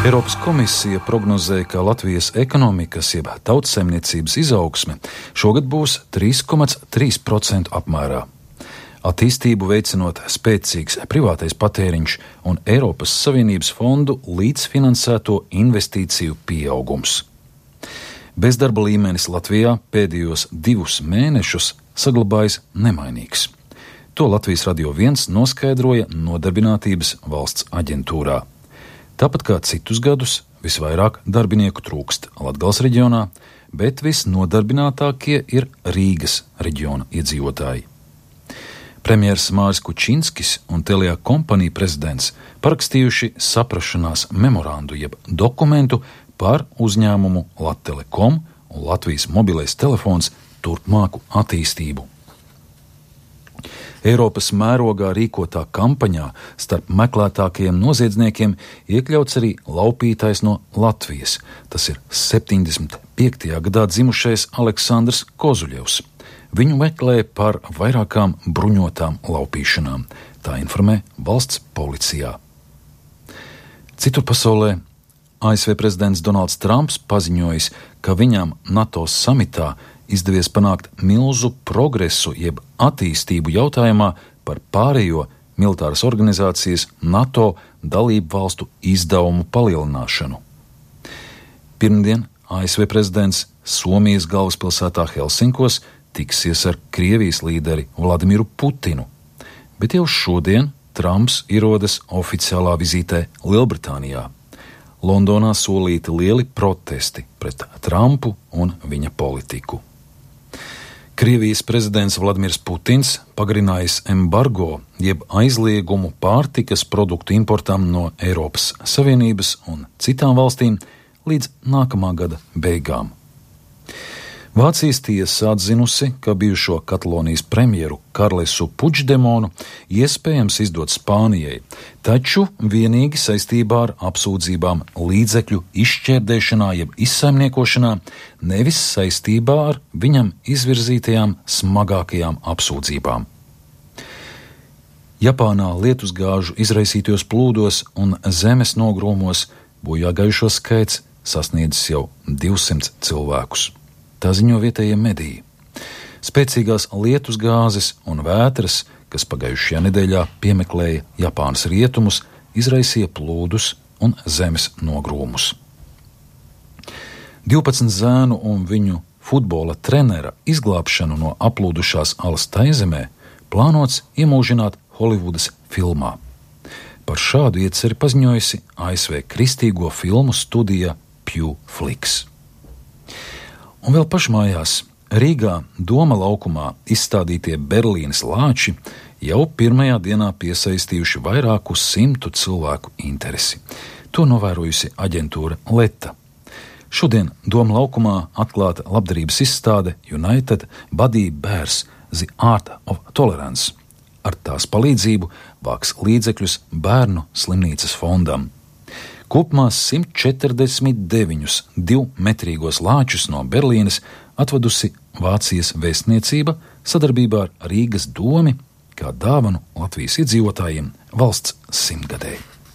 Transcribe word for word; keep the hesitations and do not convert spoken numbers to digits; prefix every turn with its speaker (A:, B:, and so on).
A: Eiropas komisija prognozē, ka Latvijas ekonomikas jeb tautsaimniecības izaugsme šogad būs trīs komats trīs procenti apmērā. Attīstību veicinot spēcīgs privātais patēriņš un Eiropas Savienības fondu līdzfinansēto investīciju pieaugums. Bezdarba līmenis Latvijā pēdējos divus mēnešus saglabājas nemainīgs. To Latvijas Radio viens noskaidroja Nodarbinātības valsts aģentūrā. Tāpat kā citus gadus, visvairāk darbinieku trūkst Latgales reģionā, bet visnodarbinātākie ir Rīgas reģiona iedzīvotāji. Premjers Māris Kučinskis un Telia kompanija prezidents parakstījuši saprašanās memorandu jeb dokumentu par uzņēmumu Lattelekom un Latvijas mobilais telefons turpmāku attīstību. Eiropas mērogā rīkotā kampaņā starp meklētākajiem noziedzniekiem iekļauts arī laupītājs no Latvijas. Tas ir septiņdesmit piektajā gadā dzimušais Aleksandrs Kozuļevs. Viņu meklē par vairākām bruņotām laupīšanām. Tā informē valsts policijā. Citur pasaulē A S V prezidents Donalds Trumps paziņojis, ka viņam NATO samitā izdevies panākt milzu progresu jeb attīstību jautājumā par pārējo militāras organizācijas NATO dalību valstu izdevumu palielināšanu. Pirmdien A S V prezidents Somijas galvaspilsētā Helsinkos tiksies ar Krievijas līderi Vladimiru Putinu, bet jau šodien Trumps ierodas oficiālā vizītē Lielbritānijā. Londonā solīti lieli protesti pret Trumpu un viņa politiku. Krievijas prezidents Vladimirs Putins pagarinājis embargo jeb aizliegumu pārtikas produktu importam no Eiropas Savienības un citām valstīm līdz nākamā gada beigām. Vācijas tiesa atzinusi, ka bijušo Katalonijas premjeru Karlesu Puigdemonu iespējams izdot Spānijai, taču vienīgi saistībā ar apsūdzībām līdzekļu izšķērdēšanā jeb izsaimniekošanā, nevis saistībā ar viņam izvirzītajām smagākajām apsūdzībām. Japānā lietusgāžu izraisītajos plūdos un zemes nogrūmos bojāgājušo skaits sasniedzis jau divsimt cilvēkus. Tā ziņo vietējie mediji. Spēcīgās lietusgāzes un vētras, kas pagājušajā nedēļā piemeklēja Japānas rietumus, izraisīja plūdus un zemes nogrūmus. divpadsmit zēnu un viņu futbola trenera izglābšanu no aplūdušās alas Taizemē plānots iemūžināt Holivudas filmā. Par šādu ieceri paziņojusi A S V kristīgo filmu studija Pew Flix. Un vēl pašmājās Rīgā Doma laukumā izstādītie Berlīnes lāči jau pirmajā dienā piesaistījuši vairāku simtu cilvēku interesi. To novērojusi aģentūra Leta. Šodien Doma laukumā atklāta labdarības izstāde United Body Bears The Art of Tolerance. Ar tās palīdzību vāks līdzekļus bērnu slimnīcas fondam. Kopumā simt četrdesmit deviņus divmetrīgos lāčus no Berlīnes atvedusi Vācijas vēstniecība sadarbībā ar Rīgas domi kā dāvanu Latvijas iedzīvotājiem valsts simtgadēji.